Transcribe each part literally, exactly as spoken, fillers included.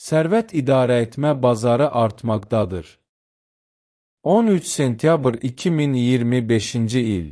Sərvət idarəetmə bazarı artmaqdadır. on üç sentyabr iki min iyirmi beşinci il.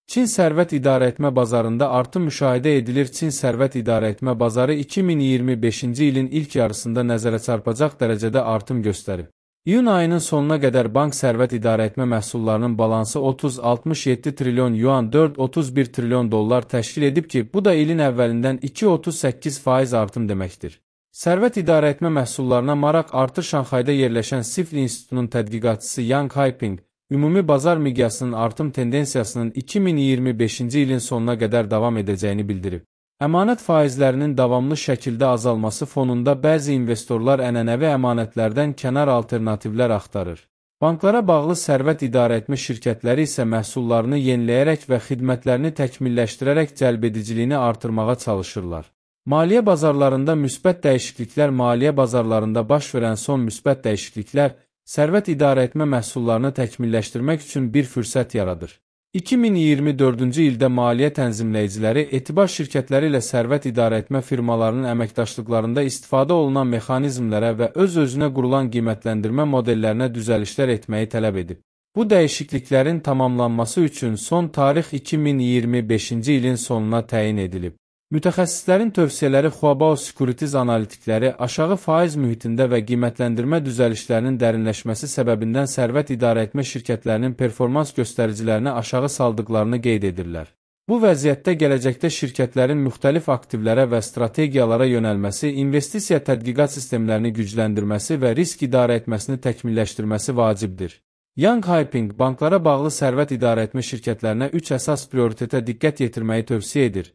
Çin sərvət idarəetmə bazarında artım müşahidə edilir. Çin sərvət idarəetmə bazarı iki min iyirmi beşinci ilin ilk yarısında nəzərə çarpacaq dərəcədə artım göstərib. İyun ayının sonuna qədər bank sərvət idarəetmə məhsullarının balansı otuz altmış yeddi trilyon yuan dörd otuz bir trilyon dollar təşkil edib ki, bu da ilin əvvəlindən iki otuz səkkiz faiz artım deməkdir. Sərvət idarəetmə məhsullarına maraq artır. Şanxayda yerləşən Sifl İnstitutunun tədqiqatçısı Yang Haiping, ümumi bazar miqyasının artım tendensiyasının iki min iyirmi beşinci ilin sonuna qədər davam edəcəyini bildirib. Əmanət faizlərinin davamlı şəkildə azalması fonunda bəzi investorlar ənənəvi əmanətlərdən kənar alternativlər axtarır. Banklara bağlı sərvət idarəetmə şirkətləri isə məhsullarını yeniləyərək və xidmətlərini təkmilləşdirərək cəlbediciliyini artırmağa çalışırlar. Maliyyə bazarlarında müsbət dəyişikliklər. Maliyyə bazarlarında baş verən son müsbət dəyişikliklər sərvət idarəetmə məhsullarını təkmilləşdirmək üçün bir fürsət yaradır. iki min iyirmi dördüncü ildə maliyyə tənzimləyiciləri etibar şirkətləri ilə sərvət idarəetmə firmalarının əməkdaşlıqlarında istifadə olunan mexanizmlərə və öz-özünə qurulan qiymətləndirmə modellərinə düzəlişlər etməyi tələb edib. Bu dəyişikliklərin tamamlanması üçün son tarix iki min iyirmi beşinci ilin sonuna təyin edilib. Mütəxəssislərin tövsiyələri Huabao Securities analitikləri aşağı faiz mühitində və qiymətləndirmə düzəlişlərinin dərinləşməsi səbəbindən sərvət idarəetmə şirkətlərinin performans göstəricilərini aşağı saldıqlarını qeyd edirlər. Bu vəziyyətdə gələcəkdə şirkətlərin müxtəlif aktivlərə və strategiyalara yönəlməsi, investisiya tədqiqat sistemlərini gücləndirməsi və risk idarəetməsini təkmilləşdirməsi vacibdir. Yang Haiping banklara bağlı sərvət idarəetmə şirkətlərinə üç əsas prioritetə diqqət yetirməyi tövsiyə edir.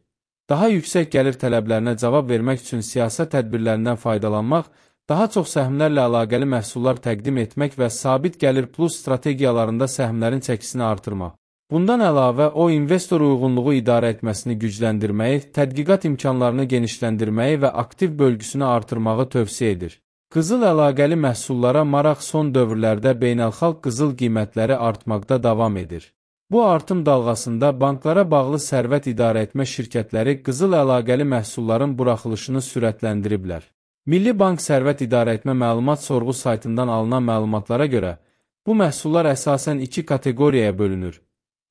Daha yüksək gəlir tələblərinə cavab vermək üçün siyasət tədbirlərindən faydalanmaq, daha çox səhmlərlə əlaqəli məhsullar təqdim etmək və sabit gəlir plus strategiyalarında səhmlərin çəkisini artırmaq. Bundan əlavə, o investor uyğunluğu idarə etməsini gücləndirməyi, tədqiqat imkanlarını genişləndirməyi və aktiv bölgüsünü artırmağı tövsiyə edir. Qızıl əlaqəli məhsullara maraq son dövrlərdə beynəlxalq qızıl qiymətləri artmaqda davam edir. Bu artım dalğasında banklara bağlı sərvət idarəetmə şirkətləri qızıl əlaqəli məhsulların buraxılışını sürətləndiriblər. Milli Bank Sərvət İdarəetmə Məlumat Sorğu saytından alınan məlumatlara görə, bu məhsullar əsasən iki kateqoriyaya bölünür.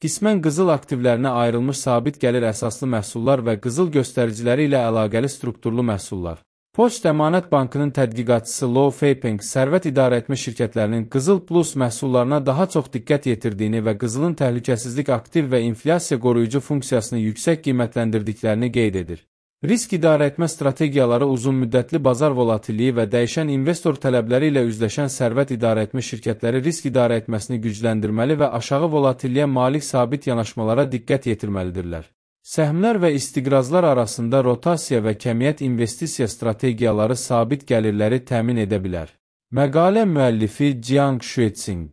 Qismən qızıl aktivlərinə ayrılmış sabit gəlir əsaslı məhsullar və qızıl göstəriciləri ilə əlaqəli strukturlu məhsullar. Poçt Əmanət Bankının tədqiqatçısı Lo Feipeng sərvət idarəetmə şirkətlərinin qızıl plus məhsullarına daha çox diqqət yetirdiyini və qızılın təhlükəsizlik aktiv və inflyasiya qoruyucu funksiyasını yüksək qiymətləndirdiklərini qeyd edir. Risk idarəetmə strategiyaları uzun müddətli bazar volatilliyi və dəyişən investor tələbləri ilə üzləşən sərvət idarəetmə şirkətləri risk idarəetməsini gücləndirməli və aşağı volatilliyə malik sabit yanaşmalara diqqət yetirməlidirlər. Səhmlər və istiqrazlar arasında rotasiya və kəmiyyət investisiya strategiyaları sabit gəlirləri təmin edə bilər. Məqalə müəllifi Jiang Shueqing.